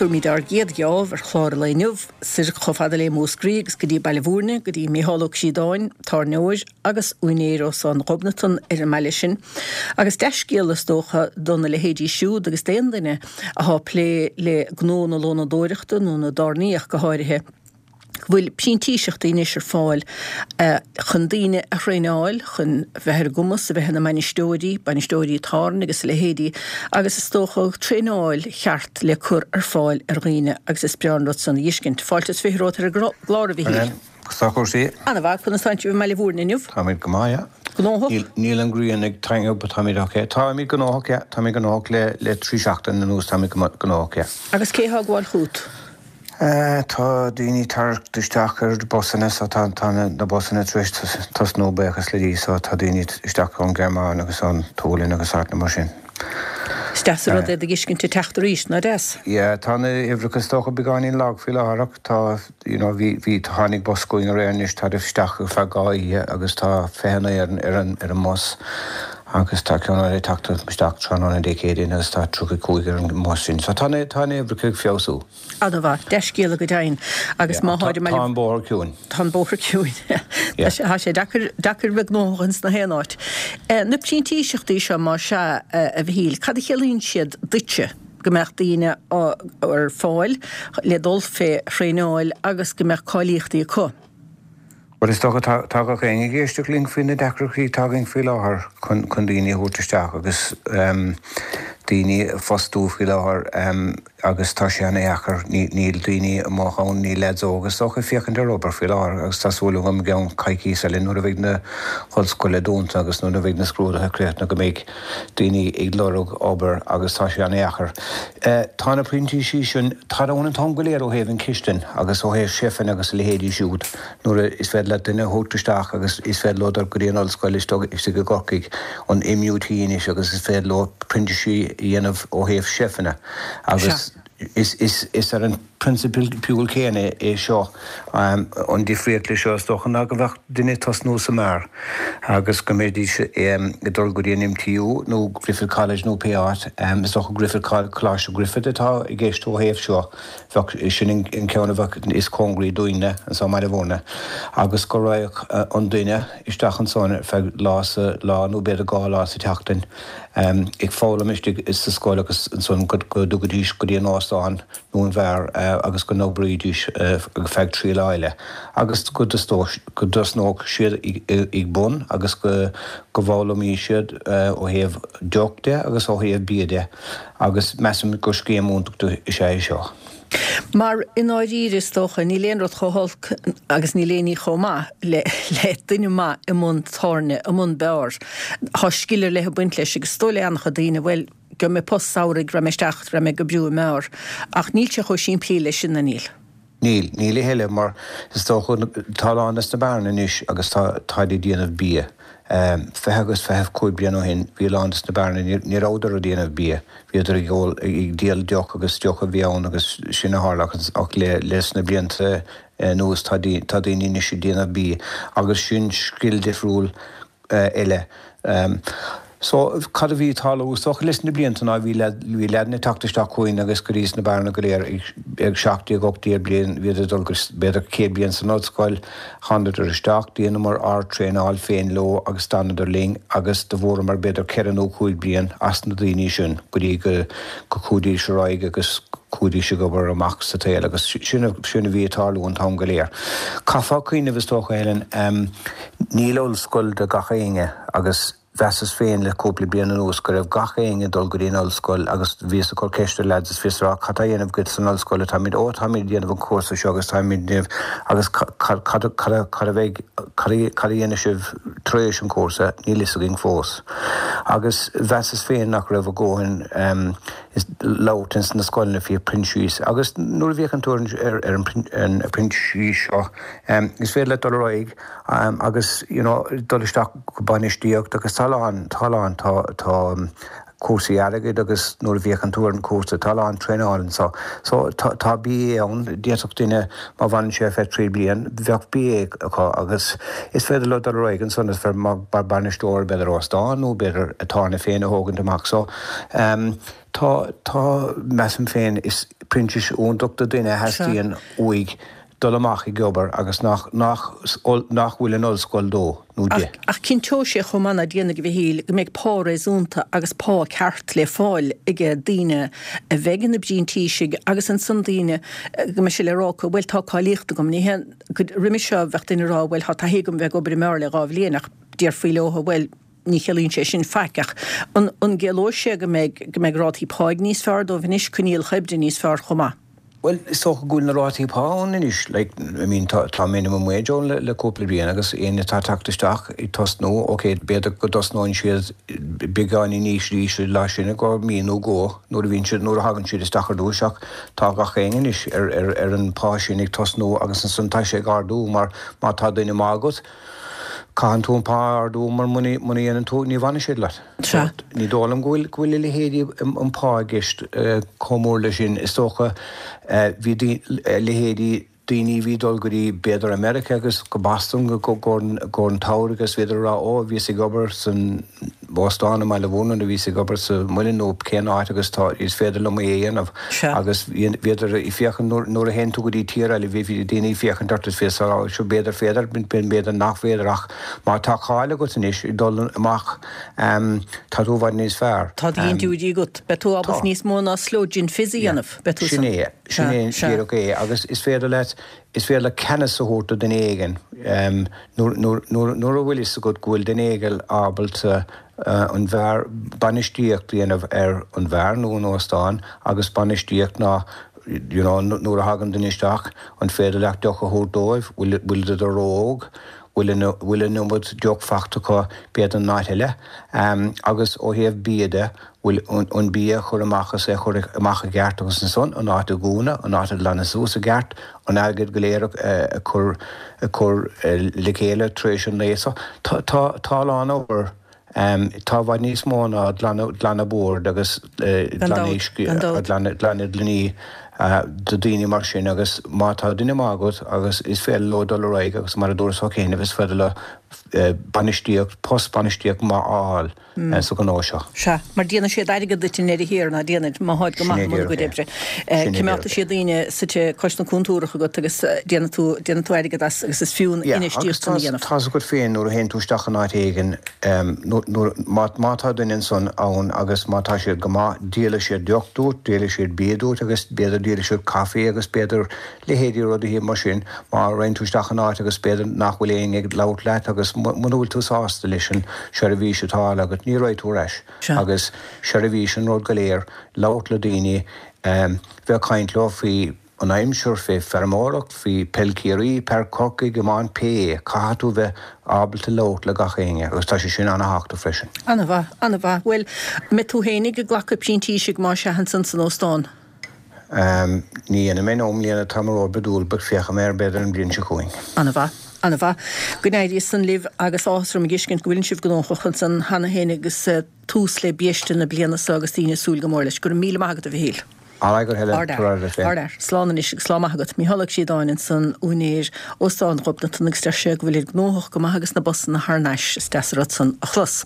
Tabharfaimid ár gcéad gheábh ar chlár an lae inniu, soir chomh fada le Múscraí agus go dtí Baile Bhúirne, go dtí Micheál Ó Críodáin, tábhairneoir agus úinéir Óstán Ghobnatan ar an mbaile sin. Agus dea-scéala is dócha do na leithéidí siúd agus d'aon duine athá ag plé le gnó na lónadóireachta nó na dtábhairní ach go háirithe, go bhfuil printíseachtaí anois ar fáil chun daoine a thraenáil chun bheith ar a gcumas a bheith ina mbainisteoirí, bainisteoirí tábhairne agus a leithéidí agus is dócha traenáil cheart le cur ar fáil ar dhaoine agus is breá an rud san a dh'fheiscint. Fáilte is 20 romhat ar an gclár, a Mhichíl. Conas tá cúrsaí? Ana-mhaith, conas tánn sibh i mBaile Bhúirne inniu? Táimid go maith, yeah. Gnóthach? Níl an ghrian ag taitneamh but táimid ok. Táimid gnóthach, yeah. Táimid gnóthach le le 3 seachtain anuas táimid gnóthach, yeah. Agus cé thá ag gabháil chút? Tá daoine ag teacht isteach ar busanna so tá na busanna tar éis tosnú buíochas le Dia so tá daoine isteach ón Ghearmáin agus ón tSualainn agus áiteanna mar sin. Is deas an rud é do dh'fheiscint ag teacht arís, ná deas? Yeah, tá na huimhreacha is dócha beagáinín lag faoi láthair ach tá, you know, bhí, bhí, tháinig bus chugainn aréir anois, táid isteach ar feadh 2 oíche agus tá 29 ar an, ar an, ar an mbus agus tá ceann eile ag teacht isteach tráthnóna Dé Céadaoin agus tá 35 ar an mbus sin. So tá na, tá na huimhreacha ag feabhsú. Ana-mhaith. Dea-scéala go deimhin. Agus má tháid i mBaile. Tá an bóthar ciúin. Tá an bóthar ciúin. Tá sé deacair, deacair bheith gnóthach ins na haon áit. Na printíseachtaí seo, más ea, a Mhichíl, cad a chiallaíonn siad duitse? Go mbeadh daoine ar fáil le dul fé thraenáil agus go mbeadh cáilíochtaí acu? Bhuel, is dócha, tá, tá gach éinne ag éisteacht linn faoi na deacrachtaí atá againn faoi láthair chun, chun daoine a thabhairt isteach agus daoine a phostú faoi láthair agus tá sé ana-dheacair. Ní, níl daoine amuigh ann, níl leaids óga is dócha ag féachaint ar obair faoi láthair agus tá súil agam i gceann coicíos eile nuair a bheidh na hollscoile dúnta agus nuair a bheidh na scrúduithe críochnaithe go mbeidh daoine ag lorg obair agus tá sé ana-dheacair. Tá na printísigh sin, táid ann an t-am go léir ó thaobh an chistin agus ó thaobh seifeanna agus a leithéidí siúd nuair is féidir leat duine a thabhairt isteach agus is féidir leo dul go dtí an ollscoil istigh i gCorcaigh, an MUT anois agus is féidir leo printísigh a dhéanamh ó thaobh seifeanna agus is ar an prionsabal céanna é seo. An difríocht leis seo, is dócha, ná go mbeadh duine ag tosnú sa mbeár agus go mbeidís ag dul go dtí an MTU nó Griffith College nó pé áit. Is dócha Griffith, Coláiste Griffith atá i gceist ó thaobh seo. Bheadh, sin an ceann a bheadh is cóngaraí dúinne anso i mBaile Bhúirne. Agus go raghadh an duine isteach ansan ar feadh lá sa, lá nó b'fhéidir 2 lá sa tseachtain ag foghlaim istigh sa scoil agus ansan go dtugaidís go dtí an óstán nó an bheár agus go n-oibrídís ar feadh 3 lá eile agus go dtosnódh siad ag bun agus go bhfoghlaimeodh siad ó thaobh deoch de agus ó thaobh bia de agus measaim gur scéim iontach is ea é seo. Mar i ndáiríre is dócha, níl aon rud chomh holc agus níl aon ní chomh maith le le duine maith i mbun tábhairne, i mbun beáir. Tá scil ar leith ag baint leis agus is dóigh le an-chuid daoine, bhuel, gheobhaidh mé post samhraidh, raghaidh mé isteach, raghaidh mé ag oibriú i mbeár. Ach níl sé chomh simplí leis sin, ná níl? Níl, níl a thuilleadh mar is dócha, tá a lán des na beáranna anois agus tá, táid ag déanamh bia. 20 agus 25 bliain ó shin bhí a lán des na beáranna, ní rabhadar ag déanamh bia, bhíodar ag ól, ag díol deoch agus deoch a bhí ann agus sin a tharla ach le, leis na blianta anuas tá, tá daoine anois ag déanamh bia agus sin scil difriúil eile. So, cad a bhí ag tarlú is dócha leis na blianta ná bhí bhí leaideanna ag teacht isteach chugainn agus go dtí sna beáranna go léir ag 17, 18 bliain, bhíodar ag dul go b'fhéidir céad bliain san ollscoil, thánadar isteach, dheineamar ár dtraenáil féin leo agus d'fhanadar linn agus do bhuaireamar b'fhéidir ceithre nó cúig bliain as na daoine sin go dtí go go chuaidís ar aghaidh agus chuaidís ag obair amach sa tsaol agus sin sin a bhí ag tarlú an t-am go léir. Caithfeá cuimhneamh is dócha Helen, Níl ollscoil do gach éinne agus mheasas féin le cúpla bliain anuas go raibh gach éinne ag dul go dtí an ollscoil agus bhíos ag cur ceist ar leaids is bhíos ag rá cad tá á dhéanamh agat san ollscoil táimid ó táimid ag déanamh an cúrsa seo agus táimid ag déanamh agus cad cad cad cad a bheidh cad a cad a dhéanfaidh sibh tar éis an chúrsa níl fhios againn fós. Agus mheasas féin nach raibh a dhóthain labhairt ins na scoileanna faoi printíseach agus nuair a bhíodh tú ar ar an printíseach seo Is féidir leat dul ar aghaidh agus you know dul isteach go bainistíocht agus tá a lán, tá a lán, tá, tá. cúrsaí airgid agus nuair a bhféachann tú ar an chúrsa, tá a lán traenáil anso. So tá, tá BA ann, d'fhéadfadh duine má bhfanann sé ar feadh 3 bliain, bheadh BA acu agus is féidir leo dul ar aghaidh ansan is féidir mar bainisteoir b'fhéidir óstán nó b'fhéidir a tábhairne féin a thógaint amach. So ehm tá, tá, measaim féin, is printíseacht iontach do duine a theastaíonn uaidh dul amach ag obair agus nach, nach, nach bhfuil an ollscoil dó nó di. Ach cinnteoidh sé chomh maith ná déanfaidh, a Mhichíl, go mbeidh pá réasúnta agus pá ceart le fáil ag daoine a bheidh ina bprintísigh agus ansan daoine go mbeidh sé le rá acu, bhuel tá cáilíocht agam. Ní hé, roimhe seo bheadh duine ag rá, bhuel tá taithí agam bheith ag obair i mbeár le 2 bhliain ach déarfaí leo, bhuel, ní chiallaíonn sé sin faic ach an an gciallóidh sé go mbeidh go mbeidh rátaí páigh níos fearr dóibh anois, coinníollacha oibre níos fearr chomh maith? Bhuel, is dócha go bhfuil na rátaí pá ann anois, like, I mean, tá, tá minimum wage ann le, le cúpla bliain agus éinne atá ag teacht isteach ag tosnú, ok, b'fhéidir go dtosnóidh siad beagáinín níos ísle ná sin i gcomhair mí nó dhó nuair a bhíonn siad, nuair a thagann siad isteach ar dtús ach tá gach éinne anois ar, ar, ar an pá sin ag tosnú agus ansan tá sé ag ardú mar má tá duine maith agat, Caitheann tú an pá a ardú mar muna dhéanann tú, ní bhfanfaidh siad leat. Sea. Ní dóigh liom go bhfuil, go bhfuil a leithéidí an pá i gceist chomh mór leis sin. Is dócha, bhí leithéidí daoine a bhí ag dul go dtí b'fhéidir America agus go Boston i gcomhair an tsamhraidh agus bhíodar ag rá ó bhíos ag obair san óstán i mBaile Mhúirne nó bhíos ag obair sa muileann nó cén áit agus tá, is féidir liom é a dhéanamh. Sea. Agus bhíodar ag féachaint nuair, nuair a théann tú go dtí tír eile bhí daoine ag féachaint ort is fios a rá seo b'fhéidir féidir, b'fhéidir nach féidir ach má tá cáil agat anois ag dul amach tá tú i bhfad níos fearr. Tá dintiúirí agat. Beidh tú ábalta Tá. níos mó ná slow gin fizz a dhéanamh. Beidh tú Sin san. é, sin Sea, é sea. díreach é agus is féidir leat, is féidir leat ceannas a thabhairt do duine éigin nuair, nuair, nuair, nuair a bhfuil fhios agat go bhfuil duine éigin ábalta an bheár, bainistíocht a dhéanamh ar an bheár nó an óstán agus bainistíocht ná you know nuair a thagann duine isteach an féidir leat deoch a thabhairt dóibh, bhfuil, bhfuil ró-óg, bhfuil an, bhfuil an iomad deoch fachta acu b'fhéidir in áit eile. Agus ó thaobh bia de, bhfuil an bia a chur amach is é a chur amach i gceart agus ansan an áit a dhúnadh, an áit a ghlanadh suas i gceart, an airgead go léir a chur a chur le chéile tar éis an lae. So tá tá tá a lán obair tá i bhfad níos mó ná glanadh glanadh boird agus glanadh uisce glanadh glanadh gloiní do daoine mar sin agus má tá duine maith agat agus is féidir leo dul ar aghaidh agus mar a dúras cheana is féidir leo bainistíocht post bainistíocht maith a fháil. sa ghnó seo. Sea, mar déanfaidh siad airgead duit i ndeireadh thiar, ná déanfaid, má tháid go maith i mbun a gcuid oibre. Coimeádfaidh siad daoine suite cois na cúntúrach agat agus déanfaidh tú, déanfaidh tú airgead as agus is fiú an infheistíocht san a dhéanamh. Tá's agat féin nuair a théann tú isteach in áit éigin, nuair, má, má tá duine ansan ann agus má tá siad go maith, díolfaidh siad deoch duit, díolfaidh siad bia duit agus b'fhéidir díolfaidh siad caife agus b'fhéidir leithéidí rudaí mar sin, má raghann tú isteach in áit agus b'fhéidir nach bhfuil éinne ag labhairt leat agus muna bhfuil tú sásta leis an seirbhís atá á fháil agat, ní raghaidh tú ar ais. Agus seirbhís an rud go léir, labhairt le daoine, bheith ag caint leo faoi an aimsir, fé feirmeoireacht, faoi peil Ciarraí, peil Corcaigh, iomáint, pé é, caithfidh tú bheith ábalta labhairt le gach éinne agus tá sé sin ana-thábhachtach freisin. Ana-mhaith, ana-mhaith. Bhuel, an mbeidh tú fhéinig ag glacadh printísigh más ea ansan san óstán? Ní dhéanfaidh mé no, i mbliana tá mé ró-oibriúil but féachfaidh mé air b'fhéidir an bhliain seo chugainn. Ana-mhaith. Ana-mhaith. Go n-éirí san libh agus áthas orm a dh'fheiscint go bhfuileann sibh gnóthach ansan cheana féin agus tús le biaiste na bliana so agus daoine ag súil go mór leis. Go raibh míle maith agat a Mhichíl. Alright go Helen, Ard fhear. Ard fhear. Slán anois agus lá maith agat. Mícheál Ó Críodáin ansan, úinéir Óstán Ghobnatan agus deir sé go bhfuilid gnóthach go maith agus na busanna thar n-ais. Is deas an rud san a chlos.